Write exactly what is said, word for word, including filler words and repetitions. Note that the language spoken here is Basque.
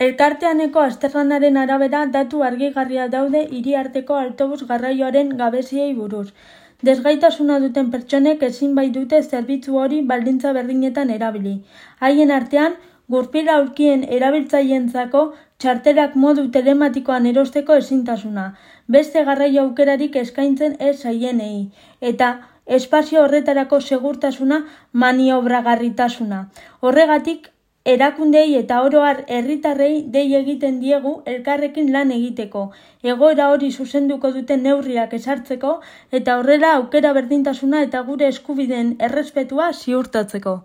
Elkarteaneko azterlanaren arabera datu argigarria daude hiriarteko autobus garraioaren gabeziei buruz. Desgaitasuna duten pertsonek ezin baitute zerbitzu hori baldintza berdinetan erabili. Haien artean, gurpil aulkien erabiltzaileentzako txartelak modu telematikoan erosteko ezintasuna, beste garraio aukerarik eskaintzen ez zaienei, eta espazio horretarako segurtasuna maniobragarritasuna. Horregatik, erakundei eta oro har herritarrei dei egiten diegu elkarrekin lan egiteko, egoera hori zuzenduko duten neurriak ezartzeko eta horrela aukera berdintasuna eta gure eskubideen errespetua ziurtatzeko.